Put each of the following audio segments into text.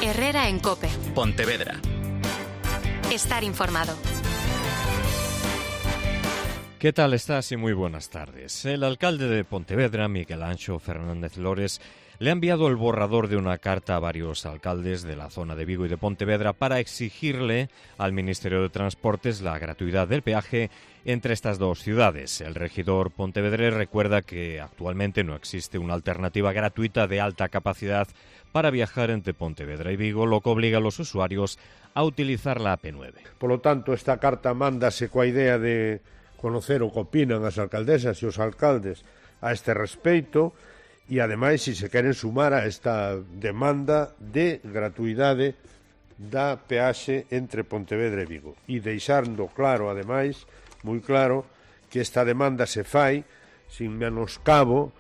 Herrera en COPE. Pontevedra. Estar informado. ¿Qué tal estás? Y muy buenas tardes. El alcalde de Pontevedra, Miguel Anxo Fernández Lores, le ha enviado el borrador de una carta a varios alcaldes de la zona de Vigo y de Pontevedra para exigirle al Ministerio de Transportes la gratuidad del peaje entre estas dos ciudades. El regidor pontevedrés recuerda que actualmente no existe una alternativa gratuita de alta capacidad para viajar entre Pontevedra y Vigo, lo que obliga a los usuarios a utilizar la AP9. Por lo tanto, esta carta mándase coa idea de conocer o que opinan as alcaldesas e os alcaldes a este respeito e, ademais, se queren sumar a esta demanda de gratuidade da peaxe entre Pontevedra e Vigo. E deixando claro, ademais, moi claro, que esta demanda se fai sin menoscabo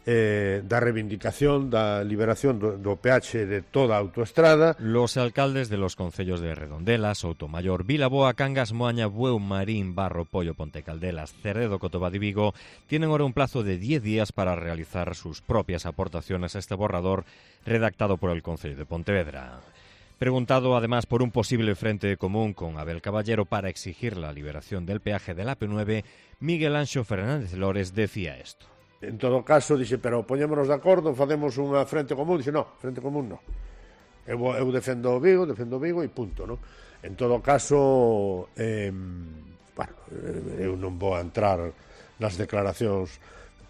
da reivindicación da liberación do peaxe de toda a autoestrada. Los alcaldes de los concellos de Redondela, Soutomayor, Vilaboa, Cangas, Moaña, Bueu, Marín, Barro, Pollo, Pontecaldelas, Cerredo, Cotobad y Vigo tienen ahora un plazo de 10 días para realizar sus propias aportaciones a este borrador redactado por el Concello de Pontevedra. Preguntado además por un posible frente común con Abel Caballero para exigir la liberación del peaje del AP9, Miguel Anxo Fernández Lores decía esto. En todo caso, dixe, pero poñémonos de acordo, facemos unha frente común. Dixe, no, frente común non. Eu defendo Vigo e punto, non? En todo caso, eu non vou a entrar nas declaracións,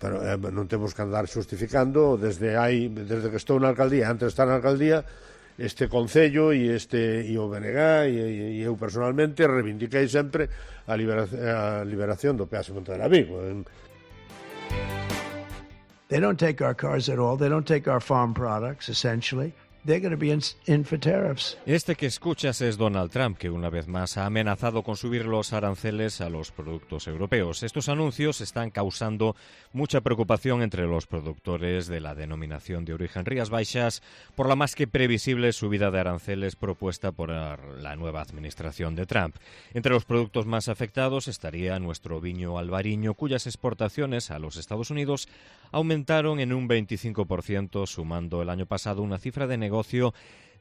pero non temos que andar justificando desde que estou na alcaldía, antes de estar na alcaldía, este Concello e o BNG e eu personalmente reivindiquei sempre a liberación do peaxe Pontevedra Vigo. They don't take our cars at all. They don't take our farm products, essentially. They're going to be in for tariffs. Este que escuchas es Donald Trump, que una vez más ha amenazado con subir los aranceles a los productos europeos. Estos anuncios están causando mucha preocupación entre los productores de la denominación de origen Rías Baixas por la más que previsible subida de aranceles propuesta por la nueva administración de Trump. Entre los productos más afectados estaría nuestro viño albariño, cuyas exportaciones a los Estados Unidos aumentaron en un 25%, sumando el año pasado una cifra de negocio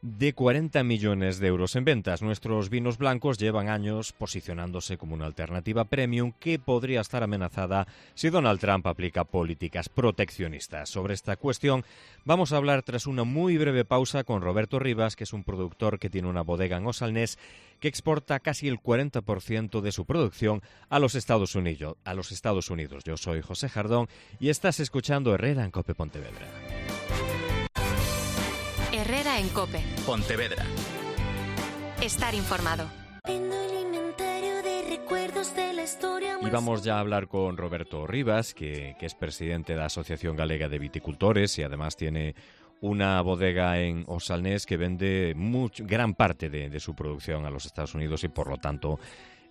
de 40 millones de euros en ventas. Nuestros vinos blancos llevan años posicionándose como una alternativa premium que podría estar amenazada si Donald Trump aplica políticas proteccionistas. Sobre esta cuestión vamos a hablar tras una muy breve pausa con Roberto Rivas, que es un productor que tiene una bodega en Osalnés que exporta casi el 40% de su producción a los Estados Unidos. Yo soy José Jardón y estás escuchando Herrera en COPE Pontevedra. Herrera en COPE. Pontevedra. Estar informado. Y vamos ya a hablar con Roberto Rivas, que es presidente de la Asociación Galega de Viticultores y además tiene una bodega en Osalnés que vende gran parte de su producción a los Estados Unidos y por lo tanto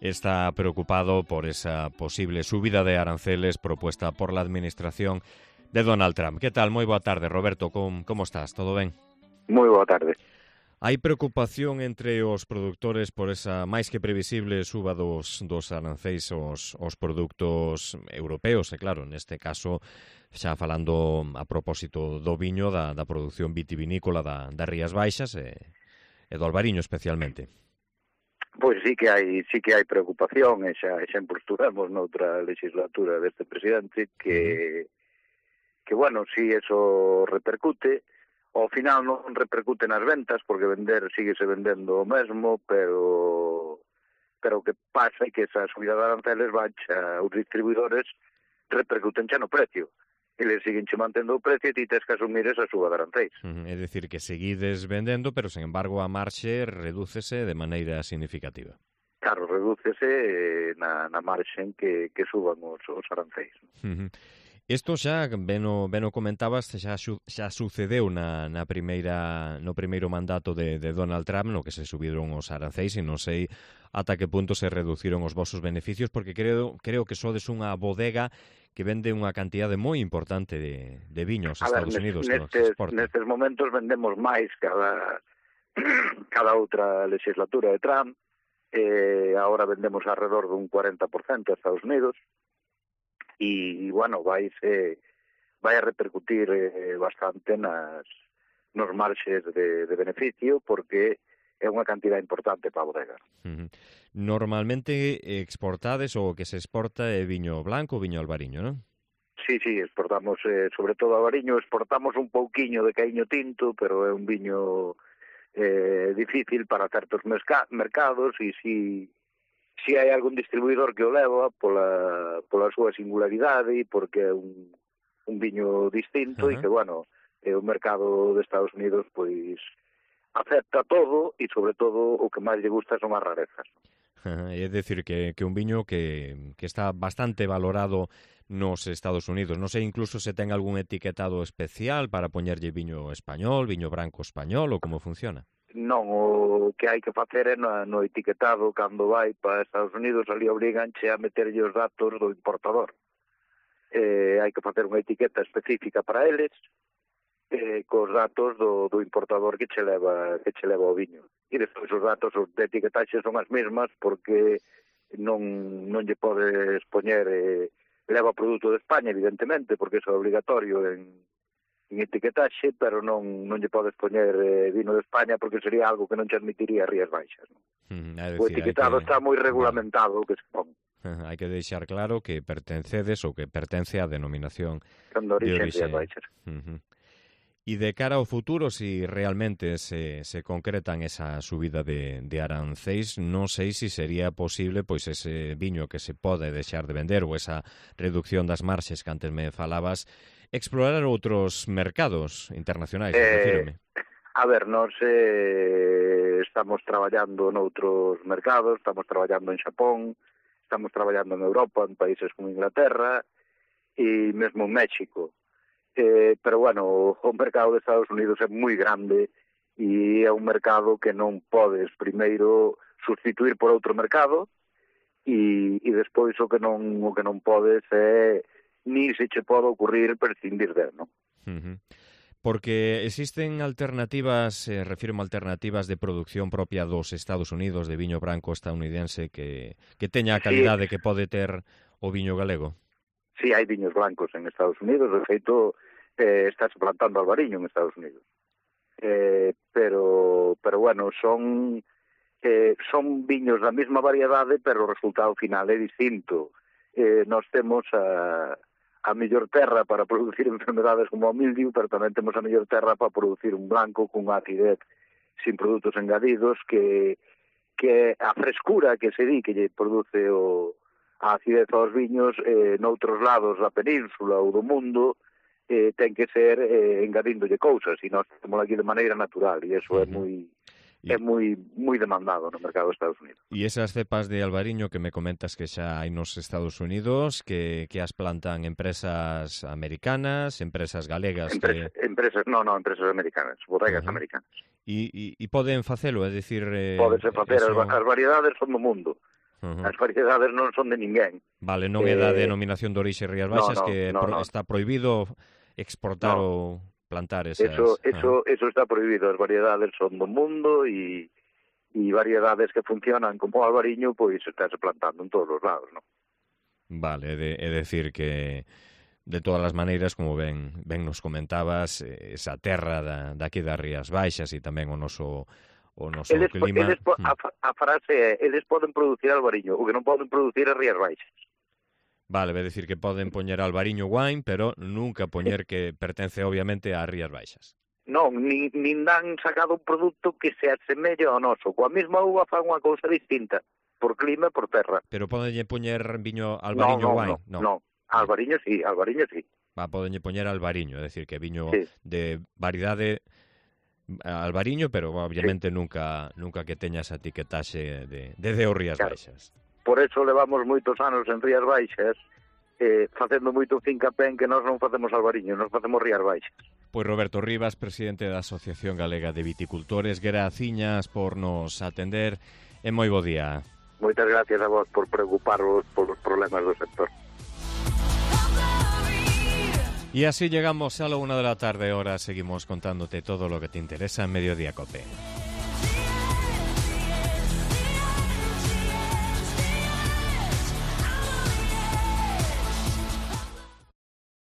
está preocupado por esa posible subida de aranceles propuesta por la administración de Donald Trump. ¿Qué tal? Moi boa tarde, Roberto. Como estás? Todo ben? Moi boa tarde. Hai preocupación entre os produtores por esa máis que previsible suba dos arancéis aos produtos europeos, e claro, neste caso, xa falando a propósito do viño, da produción vitivinícola das Rías Baixas e do albariño especialmente. Pois sí que hai preocupación, e xa impostuvemos noutra legislatura deste presidente que bueno, si eso repercute. Ao final non repercute nas ventas, porque síguese vendendo o mesmo, pero o que pasa é que esa subida de aranceles baixa os distribuidores, repercuten xa no precio. Eles siguen che mantendo o precio e ti tens que asumir esa suba de aranceis. É dicir, que seguides vendendo, pero, sen embargo, a marxe redúcese de maneira significativa. Claro, redúcese na marxen que suban os aranceis. Isto xa, ben o comentabas, xa sucedeu no primeiro mandato de Donald Trump, no que se subiron os aranceis, e non sei ata que punto se reduciron os vosos beneficios, porque creo que sodes unha bodega que vende unha cantidade moi importante de viños aos Estados Unidos. Nestes momentos vendemos máis cada outra legislatura de Trump, agora vendemos alrededor dun 40% a Estados Unidos, e, bueno, vai a repercutir bastante nas nos marxes de beneficio, porque é unha cantidad importante para a bodega. Normalmente exportades ou que se exporta é viño blanco ou viño albariño, non? Sí, exportamos, sobre todo albariño, exportamos un pouquiño de caíño tinto, pero é un viño difícil para certos mercados, e si hai algún distribuidor que o leva pola súa singularidade e porque é un viño distinto e que, bueno, o mercado de Estados Unidos, pois, acepta todo e, sobre todo, o que máis lle gusta son as rarezas. É dicir, que un viño que está bastante valorado nos Estados Unidos. Non sei incluso se ten algún etiquetado especial para poñerlle viño español, viño branco español, ou como funciona? Non, o que hai que facer é no etiquetado, cando vai para Estados Unidos, ali obriganche a meterlle os datos do importador. Hai que facer unha etiqueta específica para eles, cos datos do importador que che leva o viño. E despois os datos de etiquetaxe son as mesmas, porque non lle podes poñer leva produto de España, evidentemente, porque iso é obligatorio en etiquetaxe, pero non lle podes poñer vino de España, porque sería algo que non che admitiría Rías Baixas. O etiquetado está moi regulamentado, que se pon. Hai que deixar claro que pertencedes ou que pertence á denominación de orixe Rías Baixas. E de cara ao futuro, si realmente se concretan esa subida de arancéis, non sei se sería posible pois ese viño que se pode deixar de vender ou esa reducción das marxes que antes me falabas, explorar outros mercados internacionais, refírome. A ver, nós estamos traballando noutros mercados, estamos traballando en Xapón, estamos traballando en Europa, en países como Inglaterra e mesmo en México. Pero, bueno, o mercado de Estados Unidos é moi grande e é un mercado que non podes primeiro sustituir por outro mercado e despois o que non podes é ni se che pode ocurrir prescindir del, non? Porque existen alternativas, refirmo alternativas de producción propia dos Estados Unidos de viño branco estadounidense que teña a calidade que pode ter o viño galego? Sí, hai viños blancos en Estados Unidos, de feito estáse plantando albariño en Estados Unidos. Pero bueno, son viños da mesma variedade, pero o resultado final é distinto. Nós temos a mellor terra para producir enfermedades como o mildiu, pero tamén temos a mellor terra para producir un blanco con acidez sin produtos engadidos, que a frescura que se di que lle produce a acidez aos viños noutros lados da península ou do mundo ten que ser engadíndolle cousas, e nós temos aquí de maneira natural, e iso é moi demandado no mercado de Estados Unidos. E esas cepas de albariño que me comentas que xa hai nos Estados Unidos, que as plantan empresas americanas, empresas galegas? Empresas americanas, bodegas americanas. E poden facelo, é dicir... Podese facer, as variedades son do mundo. As variedades non son de ninguén. Vale, non é da denominación de orixe Rías Baixas, que está prohibido exportar ou plantar esas... Eso está prohibido. As variedades son do mundo e variedades que funcionan como o albariño, pois estáse plantando en todos os lados, non? Vale, é decir que de todas as maneiras, como ben nos comentabas, esa terra daqui das Rías Baixas e tamén o noso clima... A frase é, eles poden producir albariño, o que non poden producir é Rías Baixas. Vale, vai decir que poden poñer albariño wine, pero nunca poñer que pertence obviamente a Rías Baixas. Non, nin dan sacado un produto que se asemelle ao noso. Coa mesma uva fan unha cousa distinta, por clima e por terra. Pero podenlle poñer viño albariño wine? Non, albariño sí. Podenlle poñer albariño, é decir, que viño de variedade albariño, pero obviamente nunca que teña esa etiquetaxe de o Rías Baixas. Por eso levamos moitos anos en Rías Baixas facendo moito fincapé en que nós non facemos albariño, nós facemos Rías Baixas. Pois Roberto Rivas, presidente da Asociación Galega de Viticultores, graciñas por nos atender e moi bo día. Moitas gracias a vos por preocuparos polos problemas do sector. Y así llegamos a la 1 de la tarde, ahora seguimos contándote todo lo que te interesa en Mediodía COPE.